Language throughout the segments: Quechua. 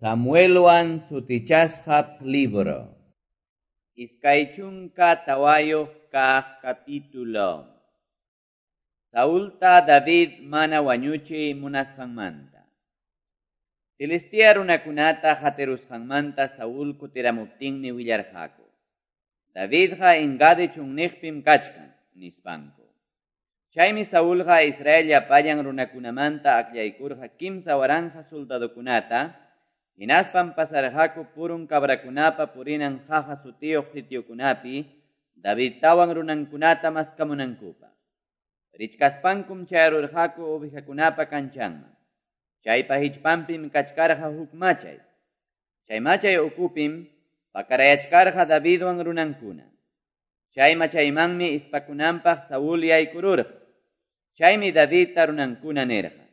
Samuelwan sutichasqa libro. 24 kaq capítulo. Saulta David mana wañuchiy munasqanmanta. Filistea runakunata qatirusqanmanta Saúl kutiramuptinmi willarqaku: Davidqa Engadi chunniqpim kachkan, nispanku. Chaymi Saulqa Israel llapallan runakunamanta akllaykurqa 3000 soldadokunata, hinaspam pasarqaku purun cabrakunapa purinan qaqa sutiyuq sitiokunapi Davidtawan runankunata maskamunankupaq. Richkaspankum chayarurqaku ovejakunapa kanchanman. Chaypa hichpanpim kachkarqa huk machay. Chay machay ukupim pakarayachkarqa Davidwan runankuna. Chay machaymanmi ispakunanpaq Saúl yaykururqa. Chaymi Davidta runankuna nirqa: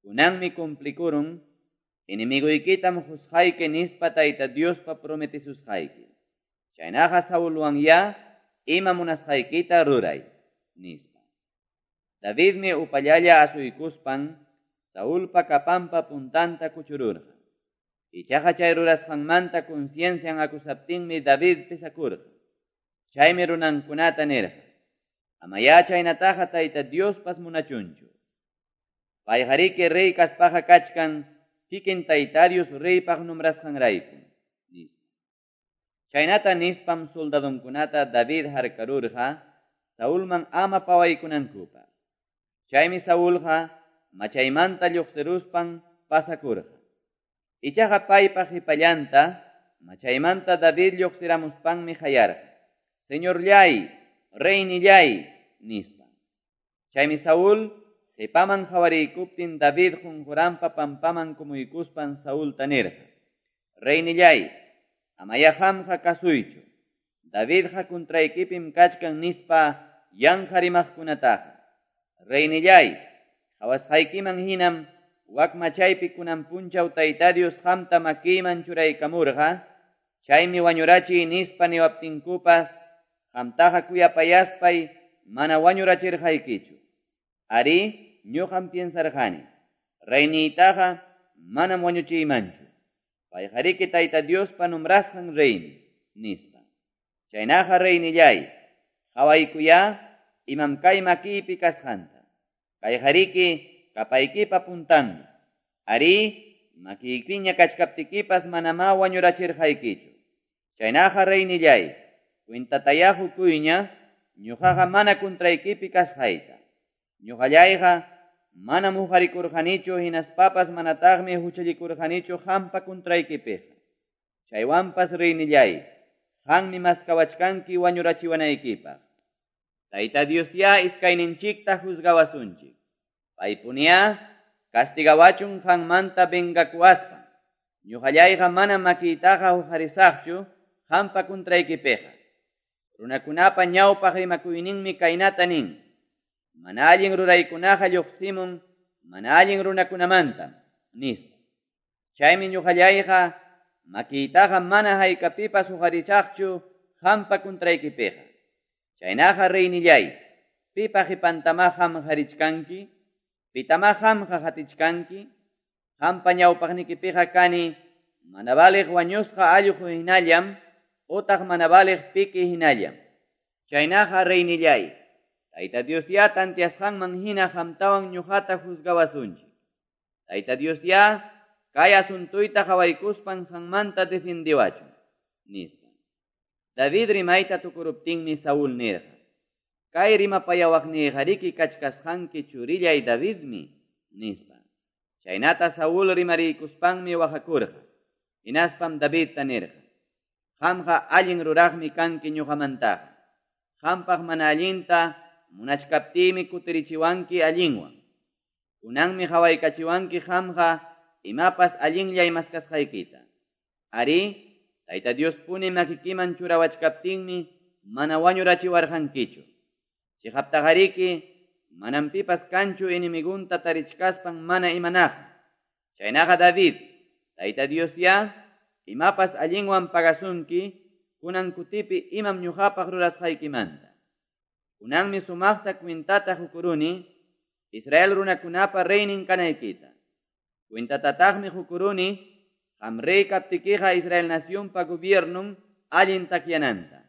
Kunanmi cumplikurun enemiguykitam qusqayki nispa Tayta Diospa prometisusqayki. Chaynaqa Saulwan ya ima munasqaykita ruray, nispa. Davidmi upallalla asuykuspan Saulpa capanpa puntanta kuchururqa. Ichaqa chay rurasqanmanta conciencian acusaptinmi David pesakurqa. Chaymi runankunata nirqa: Amaya chaynataqa Tayta Diospas munachunchu. Payqariki rey kaspaqa kachkan kikin Tayta Dios reypaq nombrasqanrayku, nispa. Chaynata nispam soldadonkunata David harkarurqa Saulman ama pawaykunankupaq. Chaymi Saulqa machaymanta lluqsiruspan pasakurqa. Ichaqa paypa qhipallanta machaymanta David lluqsiramuspanmi qayarqa: Señorllay, reynillay, nispa. Chaymi Saúl qhipaman qhawariykuptin David qunquranpa pampaman kumuykuspan Saulta nirqa: Reynillay, amaya qamqa kasuychu. Davidqa kuntraykipim kachkan nispa yanqa rimaqkunataqa. Reynillay, qhawasqaykiman hinam wak machaypi kunan punchaw Tayta Dios qamta makiyman churaykamurqa, chaymi wañurachiy nispa niwaptinkupas qamtaqa kuyapayaspay mana wañurachirqaykichu. Ari, ñuqam piensarqani, reyniytaqa manam wañuchiymanchu. Payqariki Tayta Diospa nombrasqan reymi, nispa. Chaynaqa reynillay, qhawaykuya imam kay makiypi kasqanta. Kayqariki kapaykipa puntanmi. Ari, makiykiña kachkaptikipas manamá wañurachirqaykichu. Chaynaqa reynillay, cuentataya hukuyña ñuqaqa mana kuntraykipi kasqayta. Ñuqallayqa manam huqarikurqanichu hinaspapas manataqmi huchallikurqanichu qampa kuntraykipiqa. Chaywanpas reynillay, qammi maskawachkanki wañurachiwanaykipaq. Tayta Dios ya iskayninchikta juzgawasunchik. Paypuniya castigawachun qanmanta vengakuwaspa. Ñuqallayqa mana makiytaqa huqarisaqchu qampa kuntraykipiqa. Runakunapa ñawpaq rimakuyninmi kaynata nin: Mana allin ruraykunaqa lluqsimun mana allin runakunamantam, nispa. Chaymi ñuqallayqa makiytaqa mana haykapipas huqarisaqchu qampa kuntraykipiqa. Chaynaqa reynillay, pipa qhipantama qam harichkanki, pitama qamqa qatichkanki, qampa ñawpaqnikipiqa kani mana valiq wañusqa allqu hinallam utaq mana valiq piki hinallam. Chaynaqa reynillay, Tayta Dios ya tantiasqanman hina qamtawan ñuqata juzgawasunchik. Tayta Dios ya kay asuntuyta qhawaykuspan qanmanta defendiwachun, nispa. David rimayta tukuruptinmi Saúl nirqa: Kay rimapayawaqniyqariki kachkasqanki churillay Davidmi, nispa. Chaynata Saúl rimariykuspanmi waqakurqa. Hinaspam Davidta nirqa: Qamqa allin ruraqmi kanki ñuqamantaqa. Qampaq mana allinta munachkaptiymi kutirichiwanki allinwan. Kunanmi qhawaykachiwanki qamqa imapas allinllay maskasqaykita. Ari, Tayta Dios puni makikiman churawachkaptinmi mana wañurachiwarqankichu. Chiqaptaqariki manam pipas kanchu enemigunta tarichkaspan mana imanaqqa. Chaynaqa David, Tayta Dios ya imapas allinwan pagasunki kunan kutipi imam ñuqapaq rurasqaykimanta. Kunanmi sumaqta cuentata hukuruni Israel runakunapa reynin kanaykita. Cuentatataqmi hukuruni Qam rey kaptikiqa Israel nacionpa gobiernon allin takyananta.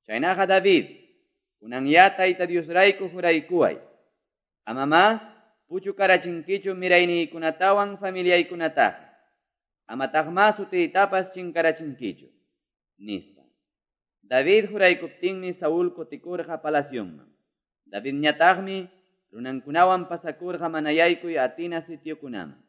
Chaynaqa David, kunanyá Tayta Diosrayku juraykuway. Amamá puchukarachinkichu mirayniykunatawan familiaykunataqa. Amataqmá sutiytapas chinkarachinkichu, nispa. David juraykuptinmi Saúl kutikurqa palacionman. Davidñataqmi runankunawan pasakurqa mana yaykuy atina sitiokunaman.